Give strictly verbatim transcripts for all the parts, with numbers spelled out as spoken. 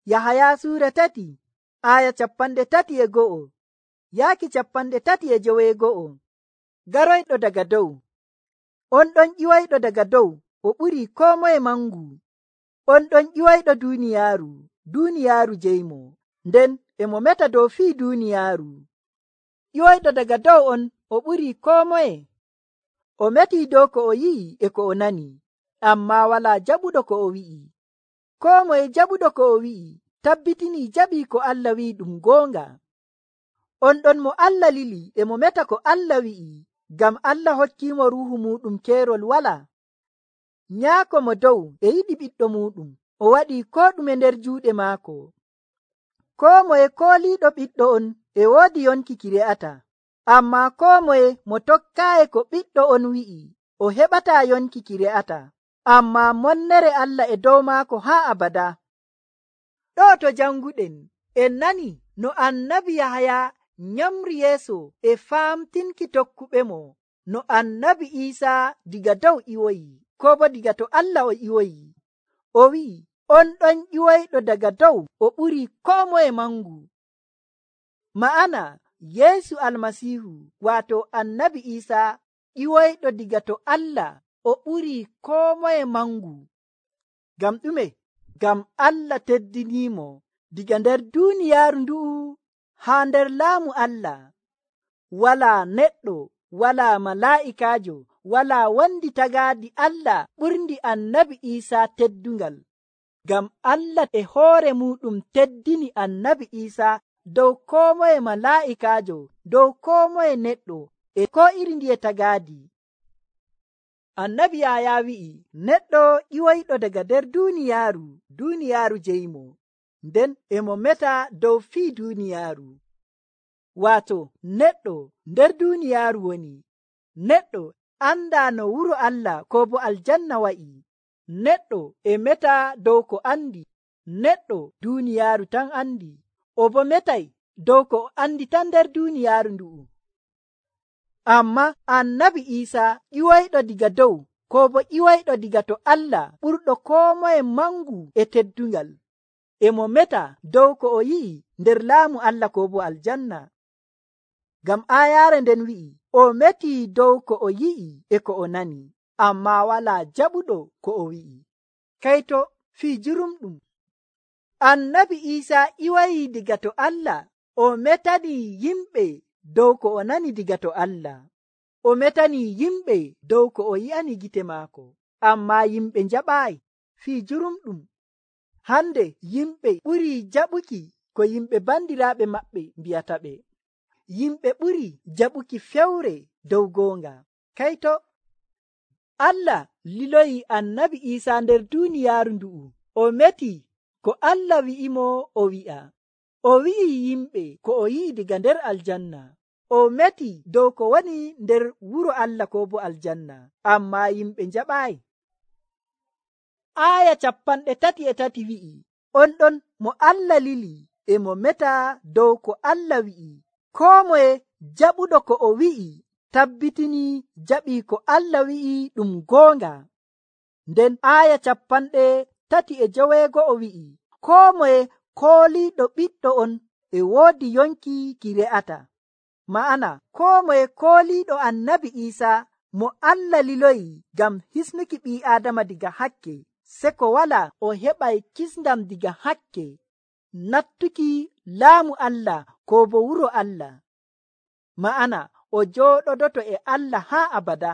Yahaya suura tati aya capanɗe tati e go'o yaaki capanɗe tati e joweego'o. Garoyɗo daga dow. On ɗon ƴiwayɗo daga dow o ɓuri koo moye mangu. On ɗon ƴiwayɗo duuniyaaru, duuniyaaru jeymo, nden e mo meta dow fii duuniyaaru. Ƴiwayɗo daga dow on o ɓuri koo moye. O metii dow ko o yi'i e ko o nani, ammaa walaa jaɓuɗo ko o wi'i. Koo moye jaɓuɗo ko o wi'i tabbitinii jaɓii ko Allah wi'i ɗum goonga. On ɗon mo Allah lili e mo meta ko Allah wi'i, ngam Allah hokkiimo ruuhu muuɗum keerol walaa. Nyaako mo dow e yiɗi ɓiɗɗo muuɗum, o waɗii koo ɗume nder juuɗe maako. Koo moye kooliiɗo ɓiɗɗo on e woodi yonki ki re'ata, ammaa koo moye mo tokkaayi ko ɓiɗɗo on wi'i o heɓataa yonki ki re'ata, ammaa monnere Allah e dow maako haa abada. Ɗo to janguɗen en nani no annabi Yahaya nyamri yeeso e faamtinki tokkuɓemo no annabi Iisaa diga dow ƴiwoyi, ko bo diga to Allah o ƴiwoyi. O wi'i, on ɗon ƴiwoyɗo daga dow o ɓuri koo moye mangu. Ma'ana Yeesu Almasiihu waato annabi Iisaa ƴiwoyɗo diga to Allah o ɓuri koo moye mangu. Ngam ɗume? Ngam Allah teddiniimo diga nder duuniyaaru ndu'u haa nder laamu Allah. Walaa neɗɗo, walaa malaa'ikaajo, walaa wondi tagaadi Allah ɓurndi annabi Iisaa teddungal. Ngam Allah e hoore muuɗum teddini annabi Iisaa dow koo moye malaa'ikaajo, dow koo moye neɗɗo e koo iri ndiye tagaadi. Annabi Yahaya wi'i, neɗɗo ƴiwoyɗo daga nder duuniyaaru, duuniyaaru jeymo, nden e mo meta dow fii duuniyaaru. Waato neɗɗo nder duuniyaaru woni. Neɗɗo andaa no wuro Allah ko bo aljanna wa'i. Neɗɗo e meta dow ko andi. Neɗɗo duuniyaaru tan andi. O bo metay dow ko andi tan nder duuniyaaru ndu'u. Amma annabi Iisaa ƴiwoyɗo diga dow ko bo ƴiwoyɗo diga to Allah ɓurɗo koo moye mangu e teddungal. E mo meta dow ko o yi'i nder laamu Allah ko bo aljanna. Ngam aayaare nden wi'i, o metii dow ko o yi'i e ko o nani, ammaa walaa jaɓuɗo ko o wi'i. Kayto fii jurumɗum. Annabi Iisaa ƴiwayii diga to Allah, o metanii yimɓe dow ko o nani diga to Allah. O metanii yimɓe dow ko o yi'ani gite maako, ammaa yimɓe njaɓaayi. Fii jurumɗum. Hande yimɓe ɓurii jaɓuki ko yimɓe bandiraaɓe maɓɓe mbi'ata ɓe. Yimɓe ɓuri jaɓuki fewre dow goonga. Kayto Allah liloyi annabi Iisaa nder duuniyaaru ndu'u. O meti ko Allah wi'imo o wi'a. O wi'i yimɓe ko o yi'i diga nder aljanna. O meti dow ko woni nder wuro Allah ko bo aljanna, ammaa yimɓe njaɓaayi. Aaya capanɗe tati e tati wi'i, on ɗon mo Allah lili e mo meta dow ko Allah wi'i. Koo moye jaɓuɗo ko o wi'i tabbitini jaɓii ko Allah wi'i ɗum goonga. Nden aaya capanɗe tati e joweego'o wi'i, koo moye kooliiɗo ɓiɗɗo on e woodi yonki ki re'ata. Ma'ana koo moye kooliiɗo annabi Iisaa mo Allah liloyi ngam hisnuki ɓii Aadama diga hakke, se ko walaa o heɓay kisndam diga hakke nattuki laamu Allah ko bo wuro Allah. Ma'ana o jooɗodoto e Allah haa abada.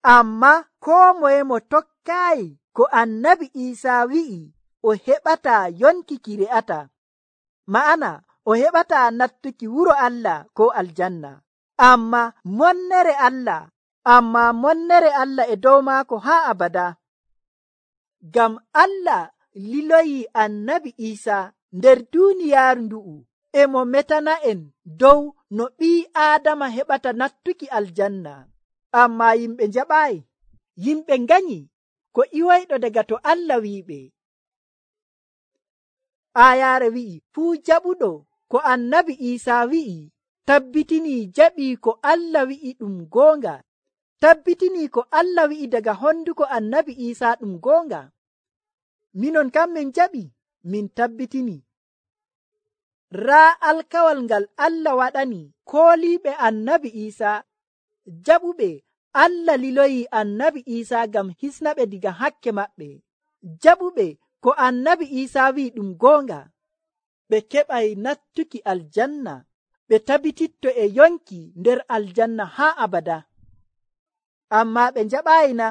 Amma koo moye mo tokkaayi ko annabi Iisaa wi'i o heɓataa yonki ki re'ata. Ma'ana o heɓataa nattuki wuro Allah ko aljanna. Amma monnere Allah, amma monnere Allah e dow maako haa abada. Ngam Allah liloyi annabi Iisaa nder duuniyaaru ndu'u e mo metana en dow no ɓii Aadama heɓata nattuki aljanna. Amma yimɓe njaɓaayi. Yimɓe nganyi ko ƴiwoyɗo daga to Allah wi'iɓe. Aayaare wi'i, fuu jaɓuɗo ko annabi Iisaa wi'i tabbitinii jaɓii ko Allah wi'i ɗum goonga. Tabbitinii ko Allah wi'i daga honduko annabi Iisaa ɗum goonga. Minon kam min jaɓi. min tabbitini raa alkawal ngal Allah waɗani kooliiɓe annabi Iisa jaɓuɓe Allah liloyi annabi Iisa ngam hisnaɓe diga hakke maɓɓe. Jaɓuɓe ko annabi Iisa wi'i ɗum goonga, ɓe keɓay nattuki aljanna, ɓe tabititto e yonki nder aljanna haa abada. Amma ɓe njaɓaayi na?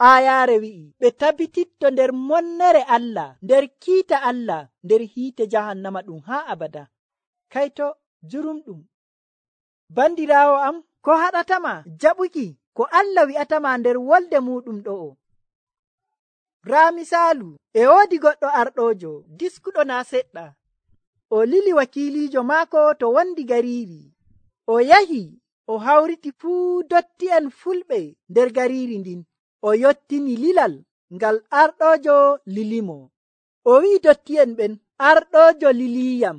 Aayaare wi'i ɓe tabititto nder monnere Allah, nder kiita Allah, nder hiite jahannama ɗum haa abada. Kayto jurumɗum. Bandiraawo am, ko haɗatama jaɓuki ko Allah wi'atama nder wolde muɗum ɗo'o? Raa misaalu, e woodi goɗɗo arɗojo diskuɗo naa seɗɗa. O lili wakiiliijo maako to wondi gariiri. O yahi o hawriti fuu dotti'en fulɓe nder gariiri ndin. O yottini lilal ngal arɗojo lilimo. O wi'i dotti'en ɓen, arɗojo liliyam.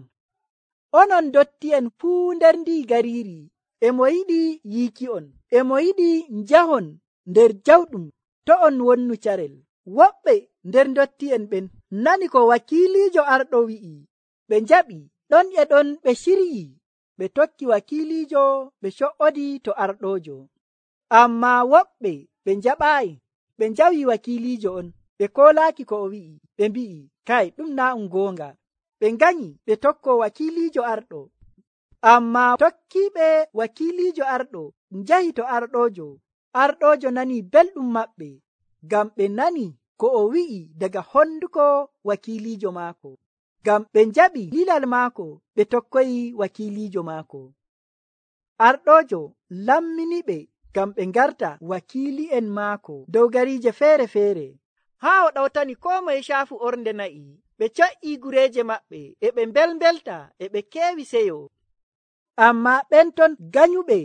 Onon dotti'en fuu nder ndi gariiri, e mo yiɗi yiiki on, e mo yiɗi njahon nder jawɗum to on wonnu carel. Woɓɓe nder dotti'en ɓen nani ko wakiiliijo arɗo wi'i, ɓe njaɓi, ɗon e ɗon ɓe ciryi, ɓe tokki wakiiliijo, ɓe co'odi to arɗojo. Amma woɓɓe ɓe njaɓaayi, ɓe njawi wakiiliijo on, ɓe koolaaki ko o wi'i, ɓe mbi'i, kay ɗum naa um goonga. Ɓe nganyi ɓe tokko wakiiliijo arɗo. Amma tokkiiɓe wakiiliijo arɗo njahi to arɗojo. Arɗojo nani belɗum maɓɓe, ngam ɓe nani ko o wi'i daga honduko wakiiliijo maako. Ngam ɓe njaɓi lilal maako, ɓe tokkoyi wakiiliijo maako. Arɗojo lamminiɓe ngam ɓe ngarta wakiili'en maako dow gariije feere-feere. Haa o ɗawtani koo moye caafu ornde na'i. Ɓe co'ii gureeje maɓɓe, e ɓe mbelmbelta, e ɓe keewi seyo. Amma ɓen ton ganyuɓe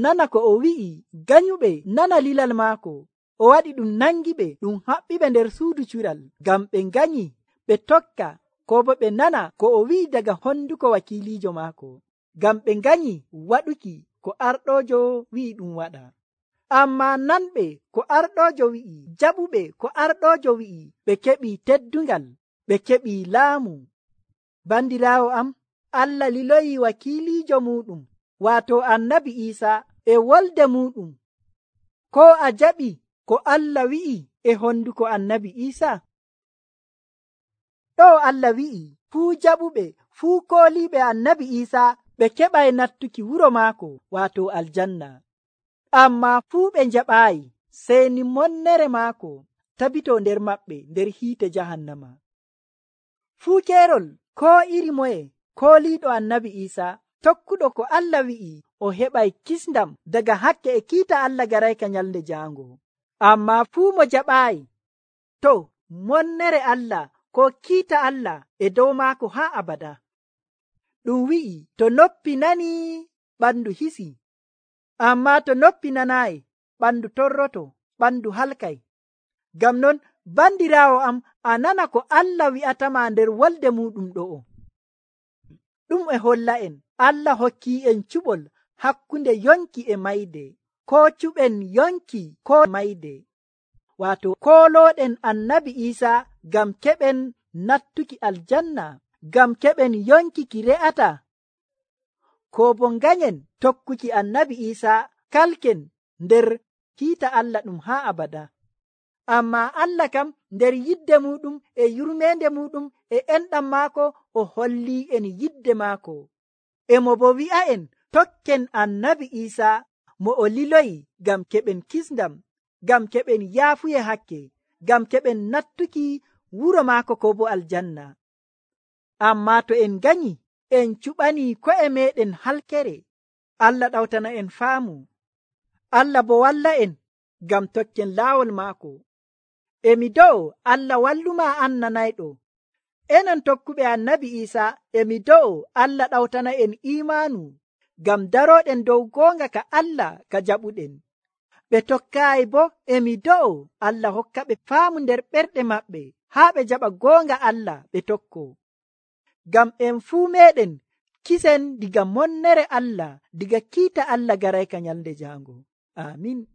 nana ko o wi'i, ganyuɓe nana lilal maako, o waɗi ɗum nangiɓe, ɗum haɓɓiɓe nder suudu cural, ngam ɓe nganyi ɓe tokka, ko bo ɓe nana ko o wi'i daga honduko wakiiliijo maako, ngam ɓe nganyi waɗuki ko arɗojo wi'i ɗum waɗa. Amma nanɓe ko arɗojo wi'i, jaɓuɓe ko arɗojo wi'i, ɓe keɓi teddungal, ɓe keɓi laamu. Bandiraawo am, Allah liloyi wakiiliijo muɗum, waato annabi Iisa, e wolde muɗum. Ko a jaɓi ko Allah wi'i e honduko annabi Iisa? Ɗo Allah wi'i fuu jaɓuɓe, fuu kooliiɓe annabi Iisa ɓe keɓay nattuki wuro maako, waato aljanna. Amma fuu ɓe njaɓaayi, sey ni monnere maako tabito nder maɓɓe nder hiite jahannama. Fuu keerol ko iri moye kooliiɗo annabi Iisa, tokkuɗo ko Allah wi'i, o heɓay kisndam daga hakke e kiita Allah garayka nyalnde jaango. Amma fuu mo jaɓaayi, to monnere Allah ko kiita Allah e dow maako haa abada. Ɗum wi'i to noppi nani ɓandu hisi, amma to noppi nanaayi ɓandu torroto, ɓandu halkay. Ngam non bandiraawo am, a nana ko Allah wi'atama nder wolde muɗum ɗo'o. Ɗum e holla en Allah hokki en cuɓol hakkunde yonki e mayde, ko cuɓen yonki ko mayde, waato koolooɗen annabi Iisa ngam keɓen nattuki aljanna, ngam keɓen yonki ki re'ata, ko bo nganyen tokkuki annabi Iisa kalken nder kiita Allah ɗum haa abada. Amma Allah kam nder yidde muɗum e yurmeende muɗum e enɗam maako, o holli en yidde maako. E mo bo wi'a en tokken annabi Iisa mo o liloyi ngam keɓen kisndam, ngam keɓen yaafuye hakke, ngam keɓen nattuki wuro maako ko bo aljanna. Amma to en ganyi en cuɓani ko'e meɗen halkere, Allah ɗawtana en faamu. Allah bo walla en ngam tokken laawol maako. Emi do'o Allah walluma an nanayɗo. Enon tokkuɓe annabi Iisa, emi do'o Allah ɗawtana en imaanu ngam daroɗen dow goonga ka Allah ka jaɓuɗen. Ɓe tokkaayi bo, emi do'o Allah hokka ɓe faamu nder ɓerɗe maɓɓe haa ɓe jaɓa goonga Allah ɓe tokko. Ngam en fuu meɗen kisen diga monnere Allah, diga kiita Allah garayka nyalde jaango. Amin.